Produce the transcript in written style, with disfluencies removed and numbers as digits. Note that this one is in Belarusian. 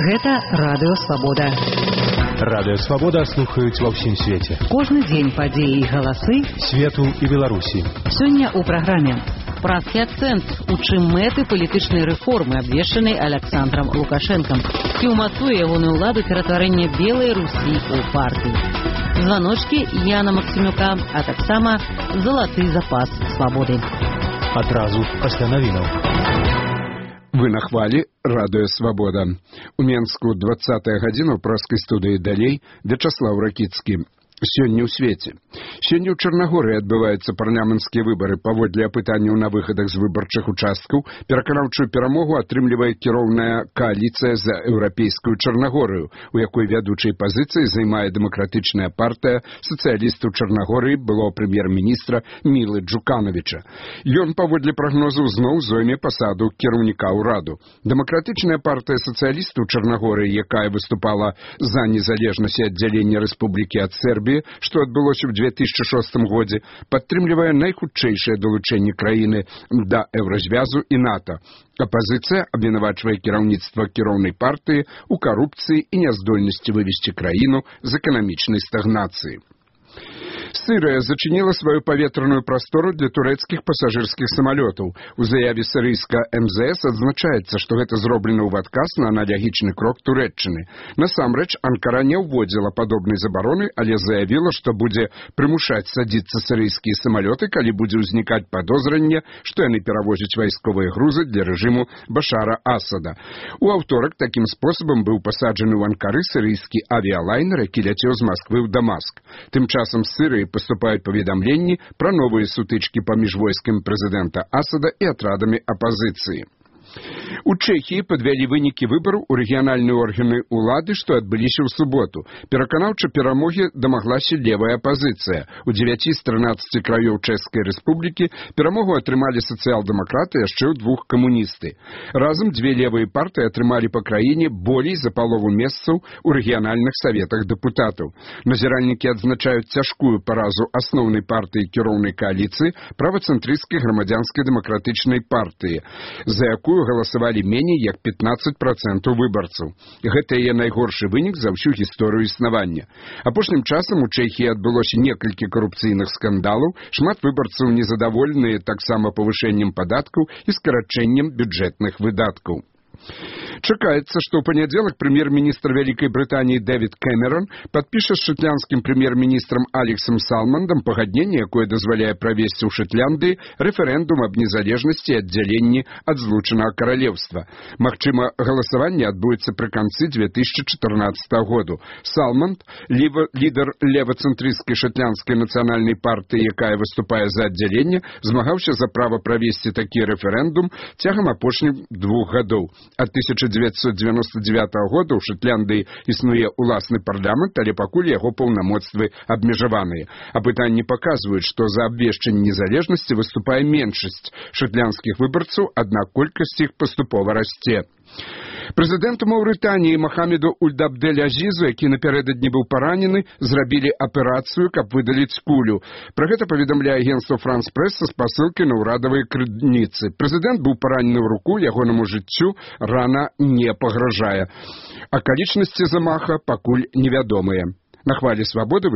Гэта Радыё Свабода. Радыё Свабода слухаюць ва ўсім свеце. Кожны дзень падзеі і галасы свету і Беларусі. Сёння ў праграме «Празкі акцэнт», у чым мэты палітычнай рэформы, абвешчанай Александром Лукашэнкам, ці ўмацуе ягоную ўладу ператварэнне Белай Русі ў партыю. Званочкі Яна Максімюка, а таксама залаты запас свабоды. Адразу пасля навінаў. Вы на хвалі Радыё Свабода. У Менску 20-я гадзіна ў праскай студыі далей Вячаслаў Ракіцкі. Сёння ў свеце. Сёння ў Чарнагорыі адбываюцца парламенцкія выбары. Паводле апытанняў на выхадах з выбарчых участкаў пераканаўчую перамогу атрымлівае кіроўная кааліцыя за еўрапейскую Чарнагорыю, у якой вядучай пазіцыі займае дэмакратычная партыя сацыялістаў Чарнагорыі былого прэм'ер-міністра Мілы Джукановіча. Ён, паводле прагнозаў, зноў зойме пасаду кіраўніка ўраду. Дэмакратычная партыя сацыялістаў Чарнагорыі, якая выступала за незалежнасць і аддзяленне рэспублікі ад Сербіі, што адбылося ў 2006 годзе, падтрымлівае найхутчэйшае далучэнне краіны да еўразвязу і НАТО. Апазіцыя абвінавачвае кіраўніцтва кіроўнай партыі ў карупцыі і няздольнасці вывесці краіну з эканамічнай стагнацыі. Сырыя зачыніла сваю паветраную прастору для турэцкіх пасажырскіх самалётаў. У заяве сірыйска МЗС адзначаецца, што гэта зроблена ў адказ на аналагічны крок Турэччыны. Насамрэч, Анкара не ўводзіла падобнай забароны, але заявіла, што будзе прымушаць садзіцца сірыйскія самалёты, калі будзе ўзнікаць падозранне, што яны перавозяць вайсковыя грузы для рэжыму Башара Асада. У аўторак такім спосабам быў пасаджаны ў Анкары сірыйскі авіялайнер, які ляцеў з Масквы ў Дамаск. Тым часам з Сырыі поступают поведомления про новые сутычки паміж войсками президента Асада и отрадами оппозиции. У Чэхіі падвялі вынікі выбараў у рэгіянальныя органы ўлады, што адбыліся ў суботу. Пераканаўча перамогі дамаглася левая апазіцыя. У 9 з 13 краёў Чэшскай рэспублікі перамогу атрымалі сацыял-дэмакраты, яшчэ ў 2 камуністы. Разам 2 левыя партыі атрымалі па краіне болей за палову месцаў у рэгіянальных саветах дэпутатаў. Назіральнікі адзначаюць цяжкую паразу асноўнай партыі кіроўнай кааліцыі правацэнтрысцкай грамадзянскай дэмакратычнай партыі, за якую галасавалі меней як 15% выбарцаў. Гэта яе найгоршы вынік за ўсю гісторыю існавання. Апошнім часам у Чэхіі адбылося некалькі карупцыйных скандалаў, шмат выбарцаў незадаволеныя таксама павышэннем падаткаў і скарачэннем бюджэтных выдаткаў. Чакаецца, што ў панядзелак прэм'ер-міністр Вялікай Брытаніі Дэвід Кэмерон падпіша з шотландскім прэм'ер-міністрам Алексам Салмандам пагадненне, якое дазваляе правесці ў Шотландыі рэферэндум аб незалежнасці і аддзяленні ад злучанага каралеўства. Магчыма, галасаванне адбудзецца пры канцы 2014 году. Салманд, лідар левацэнтрысцкай шотландскай нацыянальнай партыі, якая выступае за аддзяленне, змагаўся за права правесці такі рэферэндум цягам апошніх 2 гадоў. Ад 1999 года ў Шотландыі існуе ўласны парламент, але пакуль яго паўнамоцтвы абмежаваныя. Апытанні паказваюць, што за абвешчанне незалежнасці выступае меншасць шотландскіх выбарцаў, аднак колькасць іх паступова расце. Прэзідэнту Маўрытаніі Махамеду Ульд-Абдель-Азізу, які напярэдадні быў паранены, зрабілі аперацыю, каб выдаліць кулю. Пра гэта паведамляе агенцтва France-Press са спасылкай на ўрадавыя крыніцы. Прэзідэнт быў паранены ў руку, ягонаму жыццю рана не пагражае. Акалічнасці замаха пакуль невядомыя. На хвалі свабоды